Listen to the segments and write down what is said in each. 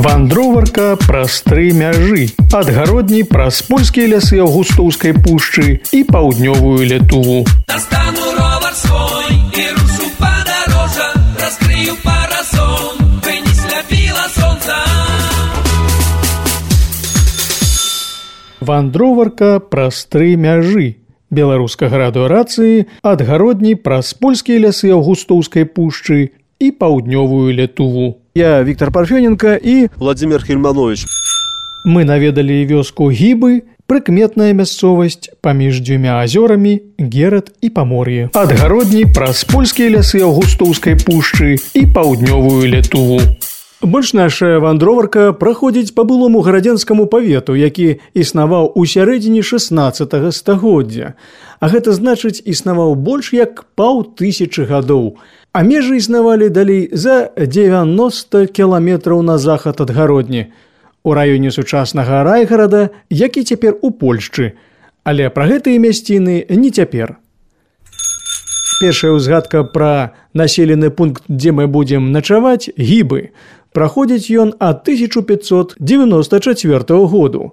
Вандроварка праз 3 мяжы. Адгародні праз польскія лясы Аўгустоўскай пушчы і паўднёвую Літву. Достану ровар свой і рушу падарожжа, раскрыю парасон, бы не сляпіла сонца. Вандроварка праз 3 мяжы. Беларускага радыёрацыі адгародні праз польскія лясы Аўгустоўскай пушчы і паўднёвую Літву. Я Віктор Парфёненко і Владимир Хельманович. Мы наведалі вёску Гібы, прыкметная мясцовасць паміж 2 азёрамі Герат і Памор'е. Адгародні праз польскія лясы Аўгустоўскай пушчы і паўднёвую Літву. Больш наша вандроварка праходзіць па былому гарадзенскаму павету, які існаваў у сярэдзіне 16 стагоддзя. А гэта значыць, існаваў больш як 500 гадоў. А межы існавалі далей за 90 кіламетраў на захад ад гародні, у раёне сучаснага Райгарада, які цяпер у Польшчы. Але пра гэтыя мясціны не цяпер. Першая ўзгадка пра населены пункт, дзе мы будзем начаваць, Гібы. Праходзіць ён ад 1594 году.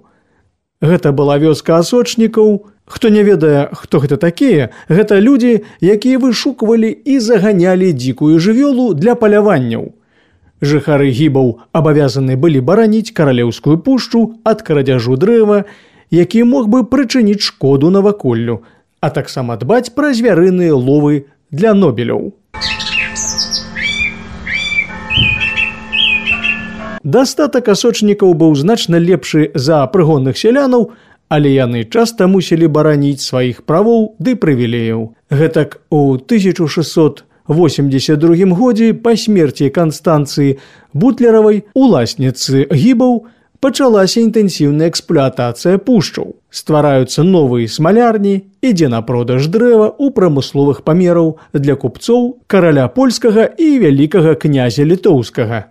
Гэта была вёска асочнікаў. Хто не ведае, хто гэта такія, гэта людзі, якія вышуквалі і заганялі дзікую жывёлу для паляванняў. Жыхары Гібаў абавязаны былі бараніць каралеўскую пушчу ад крадзяжу дрэва, які мог бы прычыніць шкоду наваколлю, а таксама дбаць пра звярыныя ловы для нобеляў. Дастатак асочнікаў быў значна лепшы за прыгонных сялянаў, але яны часта мусілі бараніць сваіх правоў ды прывілеяў. Гэтак у 1682 годзе па смерці Канстанцыі Бутлеравай, уласніцы Гібаў, пачалася інтэнсіўная эксплуатацыя пушчаў. Ствараюцца новыя смалярні, ідзе на продаж дрэва ў прамысловых памераў для купцоў, караля польскага і вялікага князя літоўскага.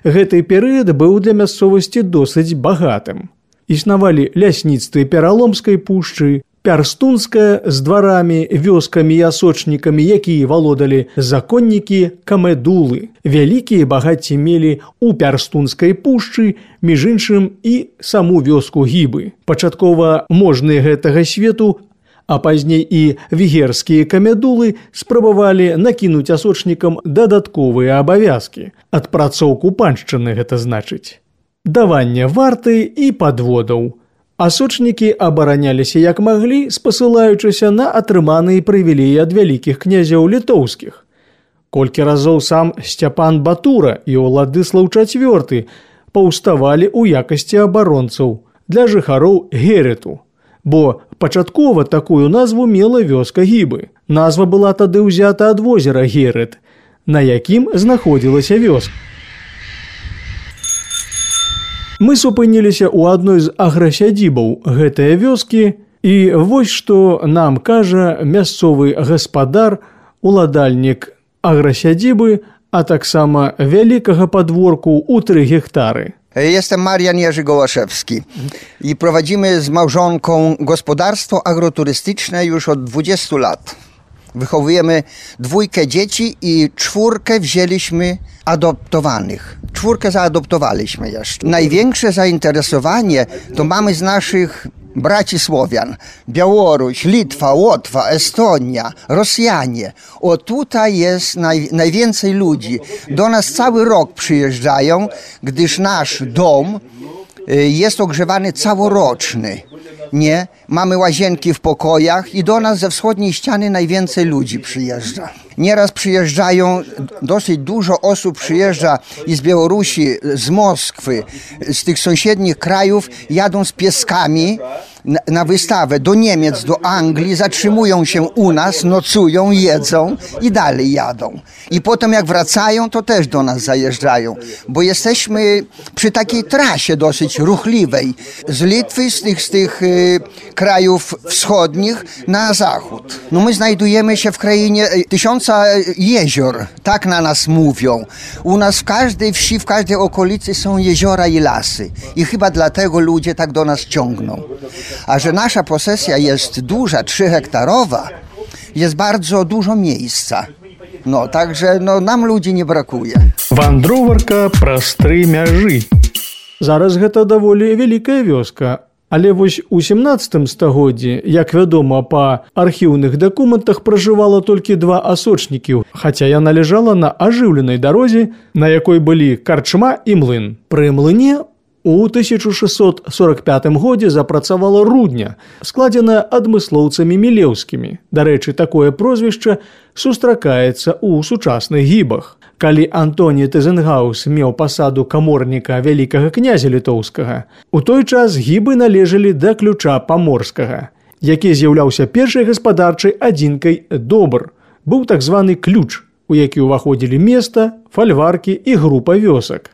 Гэты перыяд быў для мясцовасці досыць багатым. Існавалі лясніцтвы Пераломскай пушчы, Пярстунская з дварамі, вёскамі і асочнікамі, якія валодалі законнікі камедулы. Вялікія багацці мелі ў Пярстунскай пушчы, між іншым і саму вёску Гібы. Пачаткова можныя гэтага свету, а пазней і вігерскія камедулы спрабавалі накінуць асочнікам дадатковыя абавязкі. Адпрацоўку паншчыны гэта значыць. Даванне варты і падводаў. Асочнікі абараняліся як маглі, спасылаючыся на атрыманыя прывілеі ад вялікіх князяў літоўскіх. Колькі разоў сам Сцяпан Батура і Уладыслаў IV паўставалі ў якасці абаронцаў для жыхароў Герету, бо пачаткова такую назву мела вёска Гібы. Назва была тады ўзята ад возера Герет, на якім знаходзілася вёска. Мы супыніліся ў адной з аграсядзібаў гэтыя вёскі, і вось што нам кажа мясцовы гаспадар, уладальнік аграсядзібы, а таксама вялікага падворку ў 3 гектary. Jestem Marian Jerzy Gołaszewski i prowadzimy z małżonką gospodarstwo agroturystyczne już od 20 lat. Wychowujemy 2 dzieci i 4 wzięliśmy adoptowanych. 4 zaadoptowaliśmy jeszcze. Największe zainteresowanie to mamy z naszych braci Słowian. Białoruś, Litwa, Łotwa, Estonia, Rosjanie. O tutaj jest najwięcej ludzi. Do nas cały rok przyjeżdżają, gdyż nasz dom jest ogrzewany całoroczny. Nie, mamy łazienki w pokojach i do nas ze wschodniej ściany najwięcej ludzi przyjeżdża. Nieraz przyjeżdżają, dosyć dużo osób przyjeżdża i z Białorusi, z Moskwy, z tych sąsiednich krajów, jadą z pieskami na wystawę do Niemiec, do Anglii, zatrzymują się u nas, nocują, jedzą i dalej jadą. I potem jak wracają, to też do nas zajeżdżają, bo jesteśmy przy takiej trasie dosyć ruchliwej z Litwy, z tych krajów wschodnich na zachód. No my znajdujemy się w krainie 1000 jezior, tak na nas mówią. U nas w każdej wsi, w każdej okolicy są jeziora i lasy i chyba dlatego ludzie tak do nas ciągną. A że nasza posesja jest duża, 3-hektarowa, jest bardzo dużo miejsca. No, także nam ludzi nie brakuje. Вандроварка праз 3 мяжы. Зараз гэта даволі вялікая вёска. Але вось у 17 стагоддзі, як вядома, па архіўных дакументах пражывала толькі 2 асочнікі, хаця яна ляжала на ажыўленай дарозе, на якой былі карчма і млын. Пры млыне у 1645 годзе запрацавала рудня, складзеная адмыслоўцамі мілеўскімі. Дарэчы, такое прозвішча сустракаецца ў сучасных гібах. Калі Антоні Тызенгаус меў пасаду каморніка вялікага князя літоўскага, у той час гібы належалі да ключа паморскага, які з'яўляўся першай гаспадарчай адзінкай добр. Быў так званы ключ, у які ўваходзілі места, фальваркі і група вёсак.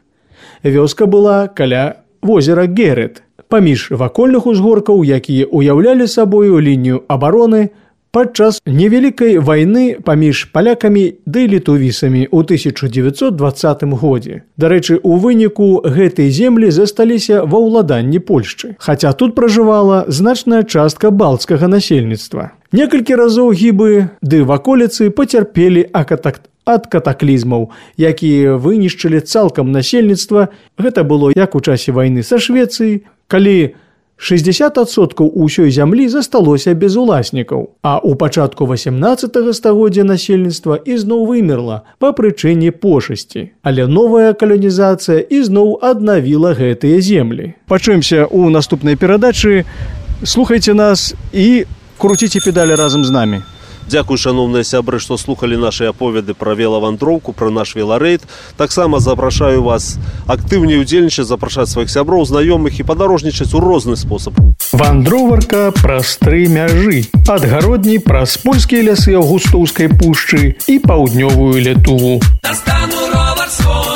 Вёска была каля возера Герет, паміж вакольных узгоркаў, якія ўяўлялі сабою лінію абароны падчас невялікай вайны паміж палякамі ды літувісамі ў 1920 годзе. Дарэчы, у выніку гэтай землі засталіся ва ўладанні Польшчы, хаця тут пражывала значная частка балцкага насельніцтва. Некалькі разоў гібы ды ваколіцы пацярпелі ад катаклізмаў, якія вынішчылі цалкам насельніцтва. Гэта было як у часе вайны са Швецыяй, калі 60% ўсёй зямлі засталося без уласнікаў, а ў пачатку 18 стагоддзя насельніцтва ізноў вымерла па прычыне пошасці. Але новая каланізацыя ізноў аднавіла гэтыя землі. Пачуемся ў наступнай перадачы. Слухайце нас і круціце педалі разам з намі. Дзякуй, шановныя сябры, што слухалі нашы аповеды пра велавандроўку, пра наш веларэйд. Таксама запрашаю вас актыўней удзельнічаць, запрашаць сваіх сяброў, знаёмых і падарожнічаць у розны спосаб. Вандроварка праз 3 мяжы. Ад гародні праз польскія лясы Аўгустоўскай пушчы і паўднёвую Літву. Достану ровер свой.